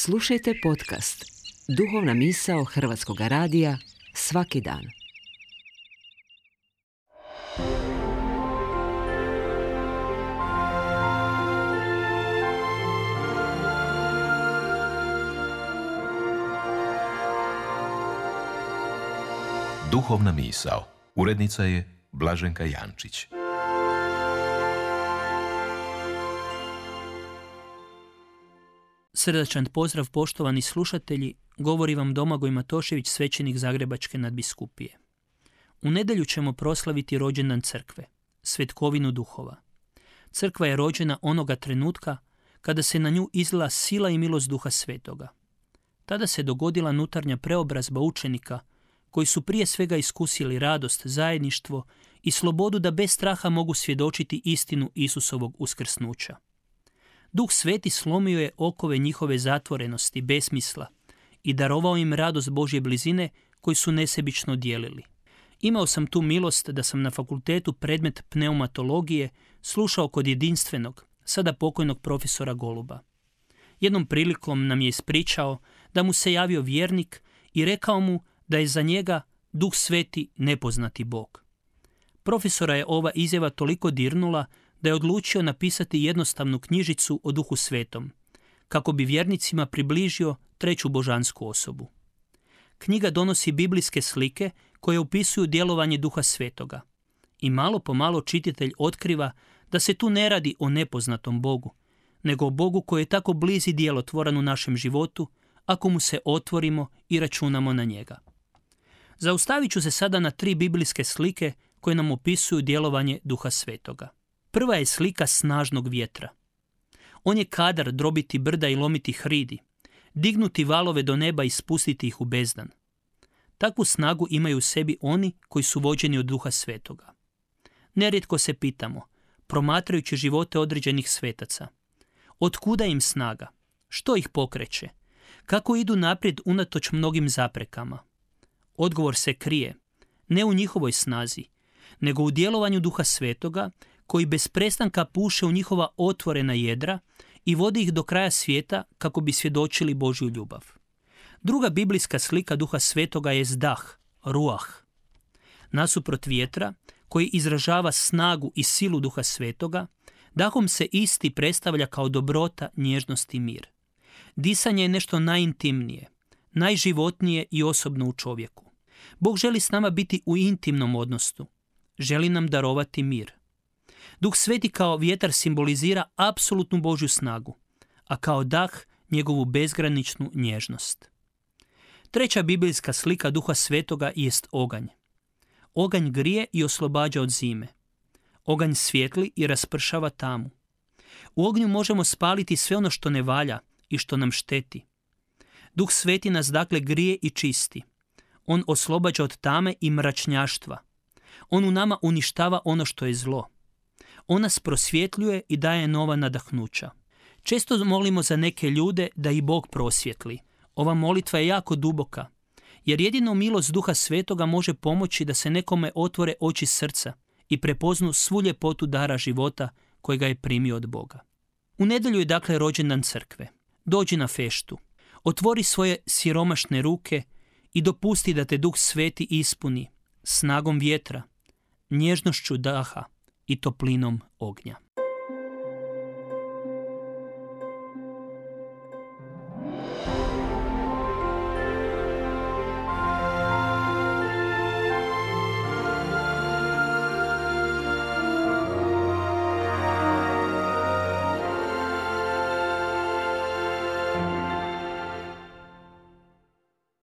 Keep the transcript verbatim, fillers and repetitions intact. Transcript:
Slušajte podcast Duhovna misao Hrvatskog radija svaki dan. Duhovna misao. Urednica je Blaženka Jančić. Srdačan pozdrav, poštovani slušatelji, govori vam Domagoj Matošević, svećenik Zagrebačke nadbiskupije. U nedjelju ćemo proslaviti rođendan crkve, svetkovinu duhova. Crkva je rođena onoga trenutka kada se na nju izlila sila i milost Duha Svetoga. Tada se dogodila nutarnja preobrazba učenika koji su prije svega iskusili radost, zajedništvo i slobodu da bez straha mogu svjedočiti istinu Isusovog uskrsnuća. Duh Sveti slomio je okove njihove zatvorenosti, besmisla i darovao im radost Božje blizine koju su nesebično dijelili. Imao sam tu milost da sam na fakultetu predmet pneumatologije slušao kod jedinstvenog, sada pokojnog profesora Goluba. Jednom prilikom nam je ispričao da mu se javio vjernik i rekao mu da je za njega Duh Sveti nepoznati Bog. Profesora je ova izjava toliko dirnula da je odlučio napisati jednostavnu knjižicu o Duhu Svetom, kako bi vjernicima približio treću božansku osobu. Knjiga donosi biblijske slike koje opisuju djelovanje Duha Svetoga i malo po malo čitatelj otkriva da se tu ne radi o nepoznatom Bogu, nego o Bogu koji je tako bliz i djelotvoran u našem životu ako mu se otvorimo i računamo na njega. Zaustavit ću se sada na tri biblijske slike koje nam opisuju djelovanje Duha Svetoga. Prva je slika snažnog vjetra. On je kadar drobiti brda i lomiti hridi, dignuti valove do neba i spustiti ih u bezdan. Takvu snagu imaju u sebi oni koji su vođeni od Duha Svetoga. Nerijetko se pitamo, promatrajući živote određenih svetaca, otkuda im snaga, što ih pokreće, kako idu naprijed unatoč mnogim zaprekama. Odgovor se krije, ne u njihovoj snazi, nego u djelovanju Duha Svetoga, koji bez prestanka puše u njihova otvorena jedra i vodi ih do kraja svijeta kako bi svjedočili Božju ljubav. Druga biblijska slika Duha Svetoga je dah, ruah. Nasuprot vjetra, koji izražava snagu i silu Duha Svetoga, dahom se isti predstavlja kao dobrota, nježnost i mir. Disanje je nešto najintimnije, najživotnije i osobno u čovjeku. Bog želi s nama biti u intimnom odnosu. Želi nam darovati mir. Duh Sveti kao vjetar simbolizira apsolutnu Božju snagu, a kao dah njegovu bezgraničnu nježnost. Treća biblijska slika Duha Svetoga jest oganj. Oganj grije i oslobađa od zime. Oganj svijetli i raspršava tamu. U ognju možemo spaliti sve ono što ne valja i što nam šteti. Duh Sveti nas dakle grije i čisti. On oslobađa od tame i mračnjaštva. On u nama uništava ono što je zlo. On nas prosvjetljuje i daje nova nadahnuća. Često molimo za neke ljude da i Bog prosvjetli. Ova molitva je jako duboka, jer jedino milost Duha Svetoga može pomoći da se nekome otvore oči srca i prepoznu svu ljepotu dara života kojega je primio od Boga. U nedjelju je dakle rođendan crkve. Dođi na feštu, otvori svoje siromašne ruke i dopusti da te Duh Sveti ispuni snagom vjetra, nježnošću daha i toplinom ognja.